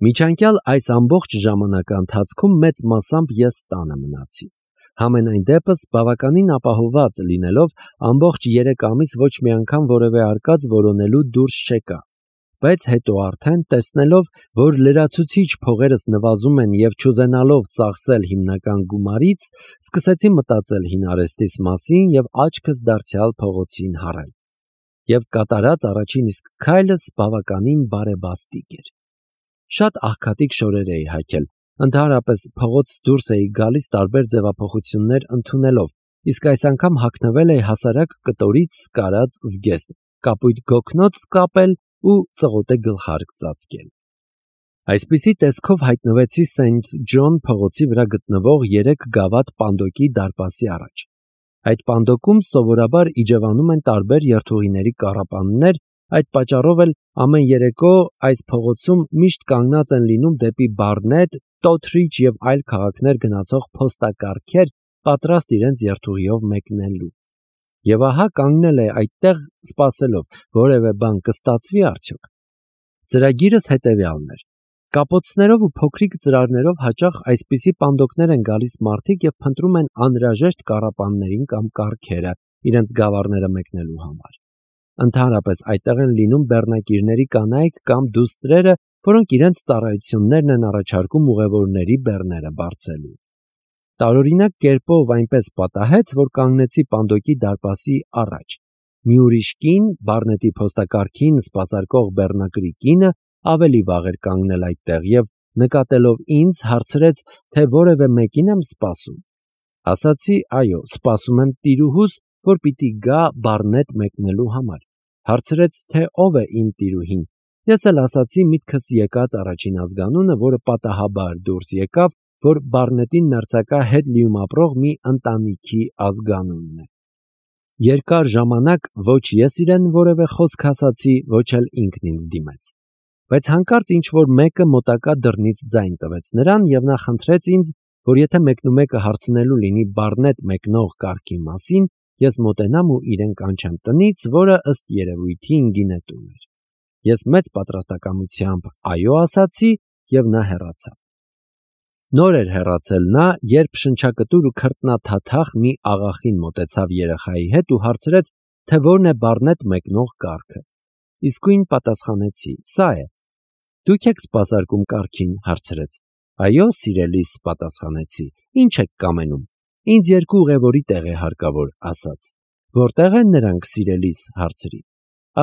Միջանկյալ այս ամբողջ ժամանակի ընթացքում մեծ մասամբ ես տանը մնացի։ Համենայն դեպս բավականին ապահովված լինելով ամբողջ 3 ամիս ոչ մի անգամ որևէ արկած որոնելու դուրս չեկա։ Բայց հետո արդեն տեսնելով, որ լրացուցիչ փողերս նվազում են եւ չուզենալով ծախսել հիմնական գումարից, սկսեցի մտածել հին արեստիս մասին եւ աչքս դարձյալ փողոցին հառել։ Եվ կատարած առաջին իսկ քայլս բավականին բարեբաստիկ էր։ Շատ աղքատիկ շորեր էի հագել, ընդհանրապես փողոց դուրս էի գալիս տարբեր ձևափոխություններ ընդունելով, իսկ այս անգամ հագնվել էի հասարակ կտորից կարած զգեստ, կապույտ գոգնոց կապել ու ծղոտե գլխարկ ծածկել։ Այսպիսի տեսքով հայտնվեցի Սենթ Ջոն փողոցի վրա գտնվող 3 գավաթ պանդոկի դարպասի առաջ։ Այդ պանդոկում սովորաբար իջևանում են տարբեր երթուղիների կառապաններ, այդ պատճառով էլ ամեն երեկո այս փողոցում միշտ կանգնած են լինում դեպի Բարնետ, Տոթրիչ եւ այլ քաղաքներ գնացող փոստակառքեր, պատրաստ իրենց երթուղիով մեկնելու։ Եվ ահա կանգնել է այդտեղ սպասելով, որևէ բան կստացվի արդյոք։ Ծրագիրս հետևյալն էր. կապոցներով ու փոքրիկ ծրարներով հաճախ այսպիսի պանդոկներ են գալիս մարդիկ եւ փնտրում են անհրաժեշտ կառապաններին կամ կառքերը իրենց գավառները մեկնելու համար։ Ընդհանրապես այդտեղ են լինում բեռնակիրների կանայք կամ դուստրերը, որոնք իրենց ծառայություններն են առաջարկում ուղևորների բեռները բարձելու։ Տարօրինակ կերպով այնպես պատահեց, որ կանգնեցի պանդոկի դարպասի առաջ։ Մի ուրիշ կին, Բարնետի փոստակառքին սպասարկող բեռնակրի կինը, ավելի վաղ էր կանգնել այդտեղ եւ նկատելով ինձ հարցրեց, թե որևէ մեկին եմ սպասում։ Ասացի, այո, սպասում եմ տիրուհուս, որ պիտի գա Բարնետ մեկնելու համար։ Հարցրեց, թե ով է իմ տիրուհին։ Ես էլ ասացի միտքս եկած առաջին ազգանունը, որը պատահաբար դուրս եկավ, որ Բարնետին մերձակա հետ լիում ապրող մի ընտանիքի ազգանունն է։ Երկար ժամանակ ոչ ես իրեն որևէ խոսք ասացի, ոչ էլ ինքն ինձ դիմեց։ Բայց հանկարծ ինչ-որ մեկը մոտակա դռնից ձայն տվեց նրան եւ նա խնդրեց ինձ, որ եթե մեկնումեկը հարցնելու լինի Բարնետ մեկնող կառքի մասին, ես մոտենամ ու իրեն կանչեմ տնից, որը ըստ երևույթին գինետուն էր։ Ես մեծ պատրաստակամությամբ այո ասացի եւ նա հեռացավ։ Նոր էր հեռացել նա, երբ շնչակտուր ու քրտնաթաթախ մի աղախին մոտեցավ երեխայի հետ ու հարցրեց, թե որն է Բարնետ մեկնող կառքը։ Իսկույն պատասխանեցի. սա է։ Դուք եք սպասարկում կառքին, հարցրեց։ Այո, սիրելիս, պատասխանեցի։ Ինչ եք կամենում։ Ինձ 2 ուղևորի տեղ է հարկավոր, ասաց։ Որտեղ են նրանք, սիրելիս, հարցրի։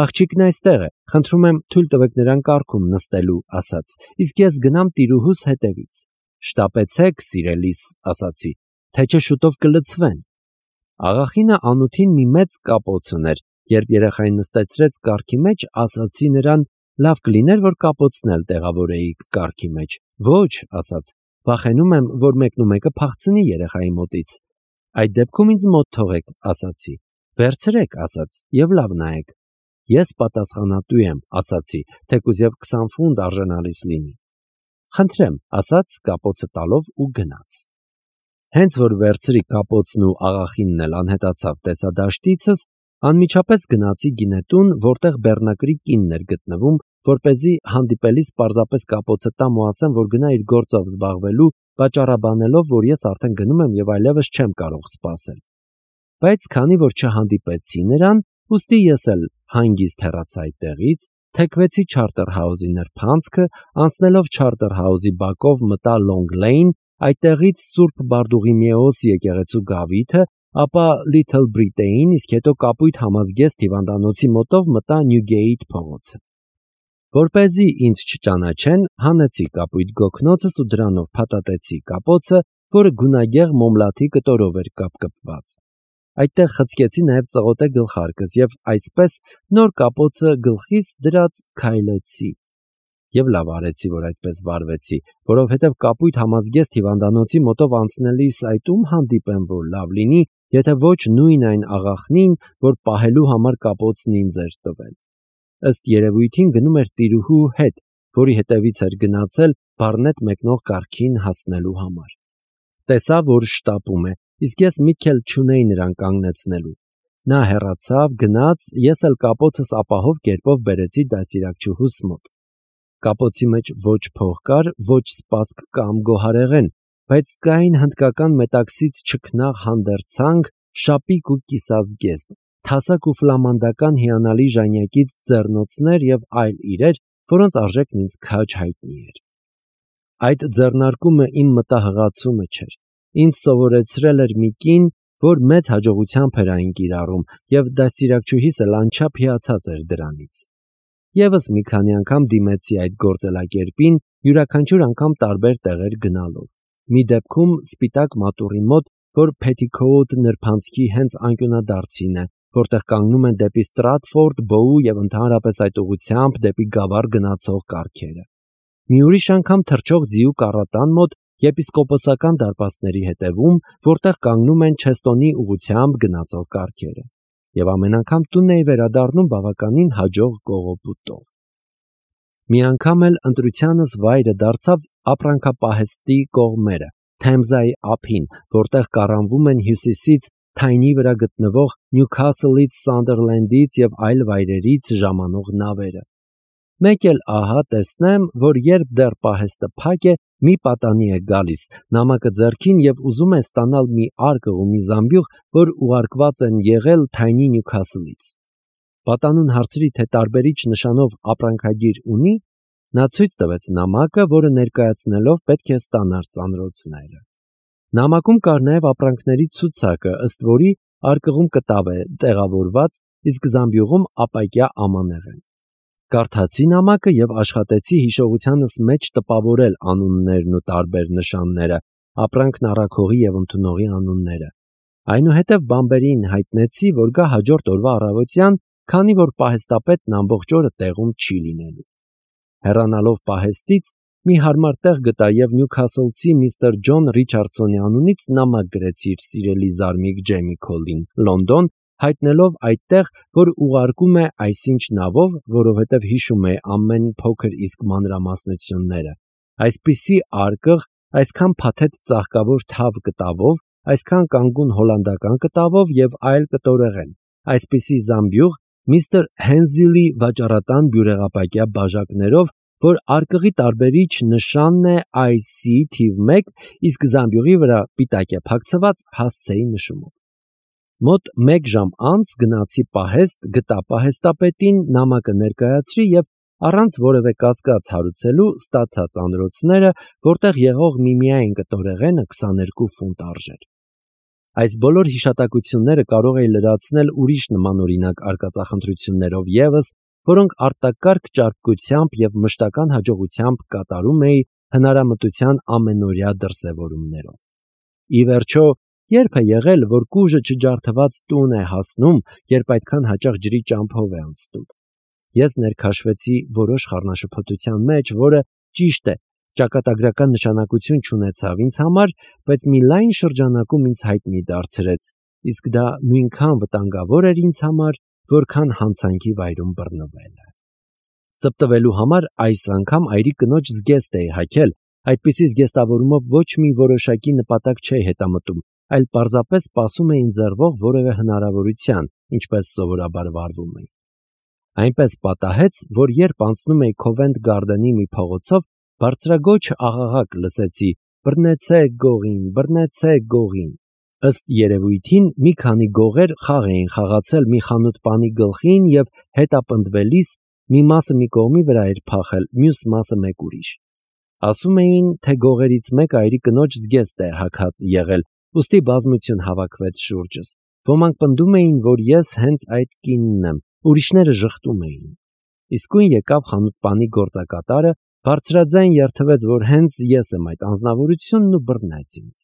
Աղջիկն այստեղ է, խնդրում եմ թույլ տվեք նրան կառքում նստելու, ասաց, իսկ ես գնամ տիրուհուս հետևից։ Շտապեցեք, սիրելիս, ասացի, թե չէ շուտով կլցվեն։ Աղախինը անուտին մի մեծ կապոց ուներ, երբ երեխային նստեցրեց կառքի մեջ, ասացի նրան, լավ կլիներ, որ կապոցն էլ տեղավորեիք կառքի մեջ։ Ոչ, ասաց, վախենում եմ, որ մեկնումեկը փախցնի երեխայի մոտից։ Այդ դեպքում ինձ մոտ թողեք, ասացի։ Վերցրեք, ասաց, եւ լավ նայեք։ Ես պատասխանատու եմ, ասացի, թեկուզ եւ 20 ֆունտ արժանալիս լինի։ Խնդրեմ, ասաց կապոցը տալով ու գնաց։ Հենց որ վերցրի կապոցն ու աղախինն էլ անհետացավ տեսադաշտիցս, անմիջապես գնացի գինետուն, որտեղ բեռնակրի կինն էր գտնվում, որպեսզի հանդիպելիս պարզապես կապոցը տամ ու ասեմ, որ գնա իր գործով զբաղվելու, պատճառաբանելով, որ ես արդեն գնում եմ եւ այլևս չեմ կարող սպասել։ Բայց քանի որ չհանդիպեցի նրան, ուստի ես էլ հանգիստ հեռացա այդտեղից, թեքվեցի Չարտերհաուզի նրբանցքը, անցնելով Չարտերհաուզի բակով մտա Լոնգ Լեյն, այդտեղից Սուրբ Բարդուղիմեոս եկեղեցու գավիթը, ապա Լիթլ Բրիտեին, իսկ հետո կապույտ համազգեստ հիվանդանոցի մոտով մտա Նյուգեիթ փողոցը։ Որպեսզի ինձ չճանաչեն, հանեցի կապույտ գոգնոցս ու դրանով փաթաթեցի կապոցը, որը գունագեղ մոմլաթի կտորով էր կապկպված։ Այդտեղ խցկեցի նաև ծղոտե գլխարկս եւ այսպես նոր կապոցը գլխիս դրած քայլեցի։ Եվ լավ արեցի, որ այդպես վարվեցի, որովհետև կապույտ համազգեստ հիվանդանոցի մոտով անցնելիս այդ ում հանդիպեմ, որ լավ լինի, եթե ոչ նույն այն աղախնին, որ պահելու համար կապոցն ինձ էր տվել։ Ըստ երևույթին գնում էր տիրուհու հետ, որի հետևից էր գնացել Բարնետ մեկնող կառքին հասնելու համար։ Տեսա, որ շտապում է, իսկ ես միտք էլ չունեի նրան կանգնեցնելու։ Նա հեռացավ, գնաց, ես էլ կապոցս ապահով կերպով բերեցի դասիրակչուհուս մոտ։ Կապոցի մեջ ոչ փող կար, ոչ սպասք կամ գոհարեղեն, բայց կային հնդկական մետաքսից չքնաղ հանդերձանք, շապիկ ու կիսազգեստ, թասակ ու ֆլամանդական հիանալի ժանյակից ձեռնոցներ եւ այլ իրեր, որոնց արժեքն ինձ քաջ հայտնի էր։ Այդ ձեռնարկումը իմ մտահղացումը չէր։ Ինձ սովորեցրել էր մի կին, որ մեծ հաջողությամբ էր այն կիրառում, եւ դաստիարակչուհիս էլ անչափ հիացած էր դրանից։ Եվս մի քանի անգամ դիմեցի այդ գործելակերպին, յուրաքանչյուր անգամ տարբեր տեղեր գնալով։ Մի դեպքում սպիտակ մատուռի մոտ, որ Փեթիքոութ նրբանցքի հենց անկյունադարձին է, որտեղ կանգնում են դեպի Ստրատֆորդ, Բոու եւ ընդհանրապես այդ ուղությամբ դեպի Գավառ գնացող կառքերը։ Մի ուրիշ անգամ թռչող ձիու կառատան մոտ եպիսկոպոսական դարպասների հետևում, որտեղ կանգնում են Չեստոնի ուղությամբ գնացող կառքերը։ Եվ ամեն անգամ տուն էի վերադառնում բավականին հաջող կողոպուտով։ Մի անգամ էլ ընտրությանս վայրը դարձավ ապրանքապահեստի կողմերը, Թեմզայի ափին, որտեղ կառանվում են հյուսիսից Թայնի վրա գտնվող Նյուքասլից, Սանդերլենդից եւ այլ վայրերից ժամանող նավերը։ Մեկ էլ ահա տեսնեմ, որ երբ դեռ պահեստը փակ է, մի պատանի է գալիս, նամակը ձեռքին եւ ուզում է ստանալ մի արկղ ու մի զամբյուղ, որ ուղարկված են եղել Թայնի Նյուքասլից։ Պատանուն հարցրի, թե տարբերիչ նշանով ապրանքագիր ունի, նա ցույց տվեց նամակը, որը ներկայացնելով պետք է ստանար ծանրոցները։ Նամակում կար նաև ապրանքների ցուցակը, ըստ որի արկղում կտավ է տեղավորված, իսկ զամբյուղում ապակյա ամանեղեն։ Կարդացի նամակը եւ աշխատեցի հիշողությանս մեջ տպավորել անուններն ու տարբեր նշանները, ապրանքն առաքողի եւ ընդունողի անունները։ Այնուհետև բամբերին հայտնեցի, որ գա հաջորդ օրվա առավոտյան, քանի որ պահեստապետն ամբողջ օրը տեղում չի լինելու։ Հեռանալով պահեստից մի հարմար տեղ գտա եւ Նյուքասլցի միստր Ջոն Ռիչարդսոնի անունից նամակ գրեցի իր սիրելի զարմիկ Ջեյմի Քոլին, Լոնդոն, հայտնելով այդտեղ, որ ուղարկում է այսինչ նավով, որովհետև հիշում է ամեն փոքր իսկ մանրամասնությունները։ Այսպիսի արկղ, այսքան փաթեթ ծաղկավոր թավ կտավով, այսքան կանգուն հոլանդական կտավով եւ այլ կտորեղեն, այսպիսի զամբյուղ միստր Հենզիլի վաճառատան բյուրեղապակյա բաժակներով, որ արկղի տարբերիչ նշանն է IC թիվ 1, իսկ զամբյուղի վրա պիտակ է փակցված հասցեի նշումով։ Մոտ 1 ժամ անց գնացի պահեստ, գտա պահեստապետին, նամակը ներկայացրի եւ առանց որևէ կասկած հարուցելու ստացա ծանրոցները, որտեղ եղող միմիային կտորեղենը 22 ֆունտ արժեր։ Այս բոլոր հիշատակությունները կարող էի լրացնել ուրիշ նմանօրինակ արկածախնդրություններով եւս, որոնք արտակարգ ճարպկությամբ եւ մշտական հաջողությամբ կատարում էի հնարամտության ամենօրյա դրսևորումներով։ Ի վերջո, երբ է եղել, որ կուժը չջարդված տուն է հասնում, երբ այդքան հաճախ ջրի ճամփով է անցնում։ Ես ներքաշվեցի որոշ խառնաշփոթության մեջ, որը ճիշտ է, ճակատագրական նշանակություն չունեցավ ինձ համար, բայց մի լայն շրջանակում ինձ հայտնի դարձրեց, իսկ դա նույնքան վտանգավոր էր ինձ համար, որքան հանցանքի վայրում բռնվելը։ Ծպտվելու համար այս անգամ այրի կնոջ զգեստ էի հագել, այդպիսի զգեստավորումով ոչ մի որոշակի նպատակ չէի հետամտում, այլ պարզապես սպասում էի ընձեռվող որևէ հնարավորության, ինչպես սովորաբար վարվում էի։ Այնպես պատահեց, որ երբ անցնում էի Քովենթ Գարդենի մի փողոցով, բարձրագոչ աղաղակ լսեցի. «Բռնեցեք գողին, բռնեցեք գողին»։ Ըստ երևույթին մի քանի գողեր խաղ էին խաղացել մի խանութպանի գլխին եւ հետապնդվելիս մի մասը մի կողմի վրա էր փախել, մյուս մասը մեկ ուրիշ։ Ասում էին, թե գողերից մեկը այրի կնոջ զգեստ է հագած եղել, ուստի բազմություն հավաքվեց շուրջս։ Ոմանք պնդում էին, որ ես հենց այդ կինն եմ, ուրիշները ժխտում էին։ Իսկույն եկավ խանութպանի գործակատարը, բարձրաձայն երթվեց, որ հենց ես եմ այդ անձնավորությունն ու բռնեց ինձ։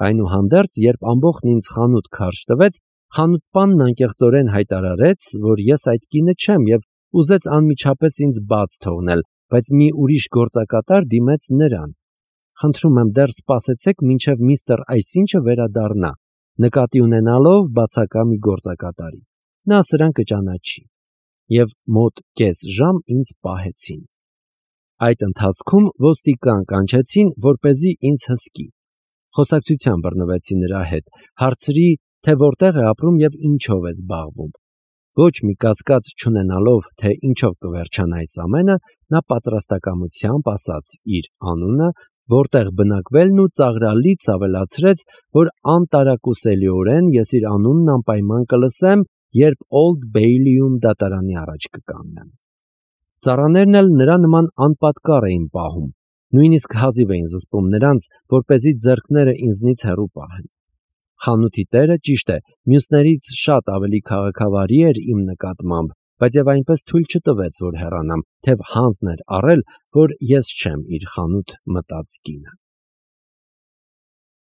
Այնուհանդերձ, երբ ամբողջն ինձ խանութ քարշ տվեց, խանութպանն անկեղծորեն հայտարարեց, որ ես այդ կինը չեմ եւ ուզեց անմիջապես ինձ բաց թողնել, բայց մի ուրիշ գործակատար դիմեց նրան։ Խնդրում եմ, դեռ սպասեցեք, մինչև միստր այսինչը վերադառնա, նկատի ունենալով բացակա մի գործակատարի։ Նա սրան կճանաչի։ Եվ մոտ կես ժամ ինձ պահեցին։ Այդ ընթացքում ոստիկան կանչեցին, որպեսզի ինձ հսկի։ Խոսակցության բռնվեցի նրա հետ, հարցրի, թե որտեղ է ապրում եւ ինչով է զբաղվում։ Ոչ մի կասկած չունենալով, թե ինչով կվերջանա այս ամենը, նա պատրաստակամությամբ ասաց իր անունը, որտեղ բնակվելն ու ծաղրալից ավելացրեց, որ անտարակուսելիորեն ես իր անունն անպայման կլսեմ, երբ Օլդ Բեյլիում դատարանի առաջ կկանգնեմ։ Ծառաներն էլ նրա նման անպատկառ էին պահում, նույնիսկ հազիվ էին զսպում նրանց, որպեսզի ձեռքները ինձնից հեռու պահեն։ Խանութի տերը, ճիշտ է, մյուսներից շատ ավելի քաղաքավարի էր իմ նկատմամբ, բայց եւ այնպես թույլ չտվեց, որ հեռանամ, թեև հանձն էր առել, որ ես չեմ իր խանութ մտած կինը։